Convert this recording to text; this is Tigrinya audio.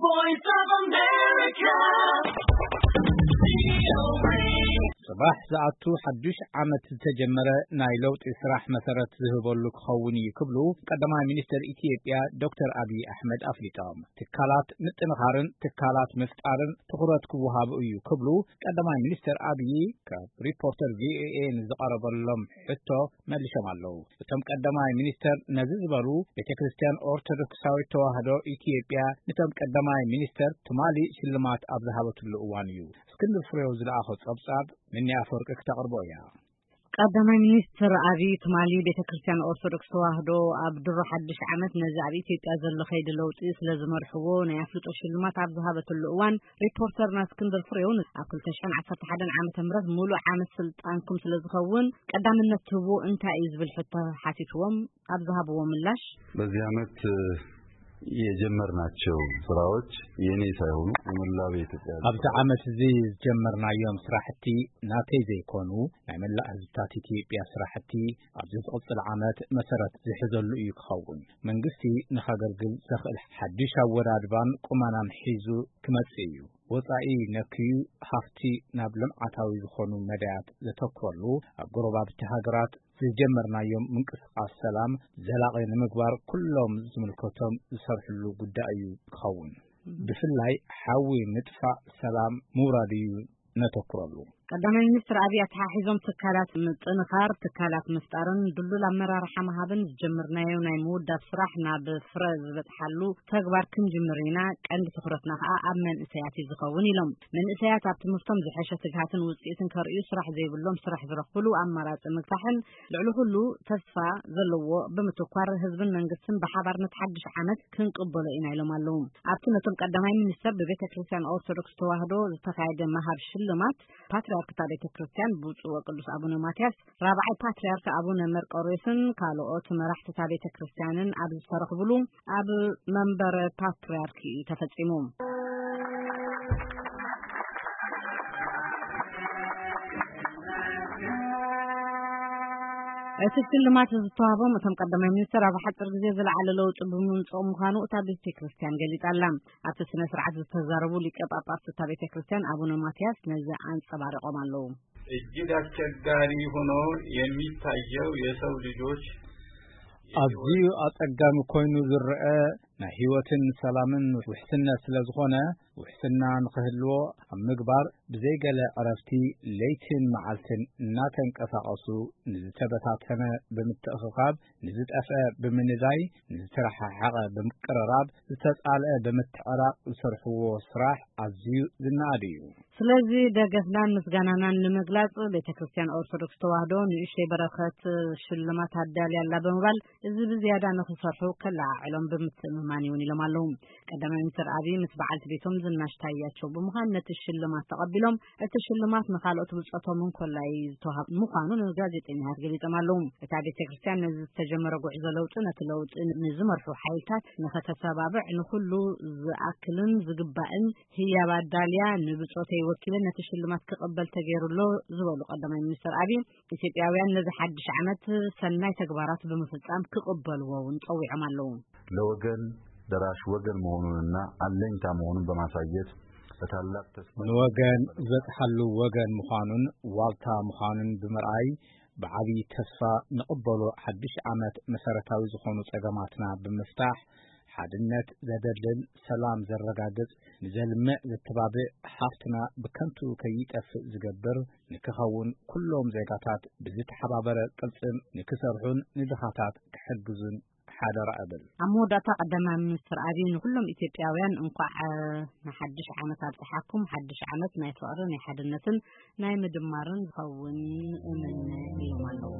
Voice of America. ጽባሕ ዝኣቱ ሓዱሽ ዓመት ዝተጀመረ ናይ ለውጢ ስራሕ መሰረት ዝህበሉ ክኸውን እዩ ክብሉ ቀዳማይ ሚኒስትር ኢትዮጵያ ዶክተር ኣብይ ኣሕመድ ኣፍሊጦም። ትካላት ምጥንኻርን ትካላት ምፍጣርን ትኹረት ክወሃቡ እዩ ክብሉ ቀዳማይ ሚኒስትር ኣብይ ካብ ሪፖርተር ቪኦኤ ንዝቐረበሎም ሕቶ መሊሶም ኣለዉ። እቶም ቀዳማይ ሚኒስተር ነዚ ዝበሉ፣ ቤተ ክርስቲያን ኦርቶዶክሳዊት ተዋህዶ ኢትዮጵያ ነቶም ቀዳማይ ሚኒስተር ትማሊ ሽልማት ኣብ ዝሃበትሉ እዋን እዩ። እስክንድር ፍሬው ዝለኣኾ ጸብጻብ፣ ምኒ ኣፈወርቂ ክተቕርቦ እያ። ቀዳማይ ሚኒስትር ኣብይ ትማሊ ቤተ ክርስቲያን ኦርቶዶክስ ተዋህዶ ኣብ ድሮ ሓድሽ ዓመት ነዚ ኣብ ኢትዮጵያ ዘሎ ከይዲ ለውጢ ስለ ዝመርሕዎ ናይ ኣፍልጦ ሽልማት ኣብ ዝሃበትሉ እዋን፣ ሪፖርተርና እስክንድር ፍሬውን ኣብ ክልተ ሽሕን ዓሰርተ ሓደን ዓመተ ምህረት ሙሉእ ዓመት ስልጣንኩም ስለ ዝኸውን ቀዳምነት ትህብዎ እንታይ እዩ ዝብል ሕቶ ሓቲትዎም ኣብ ዝሃብዎ ምላሽ፣ በዚህ ዓመት የጀመርናቸው ስራዎች የኔ ሳይሆኑ የመላው የኢትዮጵያ ሕዝብ ኣብዚ ዓመት እዚ ዝጀመርናዮም ስራሕቲ ናተይ ዘይኮኑ ናይ መላእ ህዝብታት ኢትዮጵያ ስራሕቲ ኣብዚ ዝቕጽል ዓመት መሰረት ዝሕዘሉ እዩ ክኸውን። መንግስቲ ንኸገልግል ዘኽእል ሓድሽ ኣወዳድባን ቁመናን ሒዙ ክመጽእ እዩ። ወጻኢ ነክዩ ሃፍቲ ናብ ልምዓታዊ ዝኾኑ መዳያት ዘተኩረሉ፣ ኣብ ጎረባብቲ ሃገራት ዝጀመርናዮም ምንቅስቃስ ሰላም ዘላቒ ንምግባር ኩሎም ዝምልከቶም ዝሰርሕሉ ጉዳይ እዩ ክኸውን። ብፍላይ ሓዊ ምጥፋእ ሰላም ምውራድ እዩ ነተኩረሉ። ቀዳማይ ሚኒስትር ኣብይ ኣተሓሒዞም ትካላት ምጥንኻር፣ ትካላት ምፍጣርን ድሉል ኣመራርሓ ምሃብን ዝጀመርናዮ ናይ ምውዳብ ስራሕ ናብ ፍረ ዝበፅሓሉ ተግባር ክንጅምር ኢና፣ ቀንዲ ትኹረትና ከዓ ኣብ መንእሰያት እዩ ዝኸውን ኢሎም። መንእሰያት ኣብ ትምህርቶም ዝሐሸ ትግሃትን ውፅኢትን ከርእዩ ስራሕ ዘይብሎም ስራሕ ዝረኽብሉ ኣማራፂ ምግፋሕን ልዕሊ ኩሉ ተስፋ ዘለዎ ብምትኳር ህዝብን መንግስትን ብሓባር ነቲ ሓድሽ ዓመት ክንቅበሎ ኢና ኢሎም ኣለዉ። ኣብቲ ነቶም ቀዳማይ ሚኒስተር ብቤተ ክርስቲያን ኦርቶዶክስ ተዋህዶ ዝተኻየደ መሃብ ሽልማት ፓትርያርክ እታ ቤተ ክርስቲያን ብፁዕ ወቅዱስ ኣቡነ ማትያስ ራብዓይ ፓትርያርክ ኣቡነ መርቆሬዎስን ካልኦት መራሕቲ እታ ቤተ ክርስቲያንን ኣብ ዝተረኽብሉ ኣብ መንበረ ፓትርያርክ እዩ ተፈጺሙ። እቲ ሽልማት ዝተዋህቦም እቶም ቀዳማይ ሚኒስትር ኣብ ሓፂር ግዜ ዝለዓለ ለውጢ ብምምፅኦም ምዃኑ እታ ቤተ ክርስቲያን ገሊጻ ኣላ። ኣብቲ ስነ ስርዓት ዝተዛረቡ ሊቀ ጳጳስ እታ ቤተ ክርስቲያን ኣቡነ ማትያስ ነዚ ኣንጸባሪቖም ኣለዉ። እጅግ አስቸጋሪ ሆኖ የሚታየው የሰው ልጆች ኣዝዩ ኣጸጋሚ ኮይኑ ዝረአ ናይ ህይወትን ሰላምን ውሕስነት ስለ ዝኾነ፣ ውሕስና ንኽህልዎ ኣብ ምግባር ብዘይገለ ዕረፍቲ ለይትን መዓልትን እናተንቀሳቐሱ፣ ንዝተበታተነ ብምትእኽኻብ፣ ንዝጠፍአ ብምንዳይ፣ ንዝተረሓሓቐ ብምቅርራብ፣ ዝተጻልአ ብምትዕራቕ ዝሰርሕዎ ስራሕ ኣዝዩ ዝነኣድ እዩ። ስለዚ ደገፍናን ምስጋናናን ንምግላጽ ቤተ ክርስቲያን ኦርቶዶክስ ተዋህዶ ንእሽተይ በረኸት ሽልማት ኣዳልያ ኣላ ብምባል፣ እዚ ብዝያዳ ንኽሰርሑ ከለዓዕሎም ብምትእምማን እውን ኢሎም ኣለዉ። ቀዳማይ ሚኒስትር ኣብይ ምስ በዓልቲ ቤቶም ዝናሽ ታያቸው ብምዃን ነቲ ሽልማት ተቐቢሎም፣ እቲ ሽልማት ንኻልኦት ብጾቶም እንኮላይ ዝተዋሃብ ምዃኑ ንጋዜጠኛታት ገሊጾም ኣለዉ። እታ ቤተ ክርስቲያን ነዚ ዝተጀመረ ጉዕዞ ለውጢ፣ ነቲ ለውጢ ንዝመርሑ ሓይልታት ንኸተሰባብዕ፣ ንኹሉ ዝኣክልን ዝግባእን ህያብ ኣዳልያ፣ ንብጾተይ ወኪለ ነቲ ሽልማት ክቕበል ተገይሩ ኣሎ ዝበሉ ቀዳማይ ሚኒስትር ኣብይ፣ ኢትዮጵያውያን ነዚ ሓድሽ ዓመት ሰናይ ተግባራት ብምፍጻም ክቕበልዎ እውን ጸዊዖም ኣለዉ። ለወገን ደራሽ ወገን መሆኑንና አለኝታ መሆኑን በማሳየት በታላቅ ተስፋ ንወገን ዝበጽሓሉ ወገን ምዃኑን ዋልታ ምዃኑን ብምርኣይ ብዓብዪ ተስፋ ንቕበሎ። ሓድሽ ዓመት መሰረታዊ ዝኾኑ ጸገማትና ብምፍታሕ፣ ሓድነት ዘደልድል፣ ሰላም ዘረጋግጽ፣ ንዘልምዕ ዘተባብዕ፣ ሃፍትና ብከንቱ ከይጠፍእ ዝገብር ንክኸውን ኩሎም ዜጋታት ብዝተሓባበረ ቅልጽም ንክሰርሑን ንድኻታት ክሕግዙን ሓደራ እብል። ኣብ መወዳእታ ቀዳማይ ሚኒስትር ኣብይ ንኹሎም ኢትዮጵያውያን እንኳዕ ንሓድሽ ዓመት ኣብጽሓኩም፣ ሓድሽ ዓመት ናይ ፍቕሪ፣ ናይ ሓድነትን ናይ ምድማርን ዝኸውን እምነ ኢሎም ኣለዉ።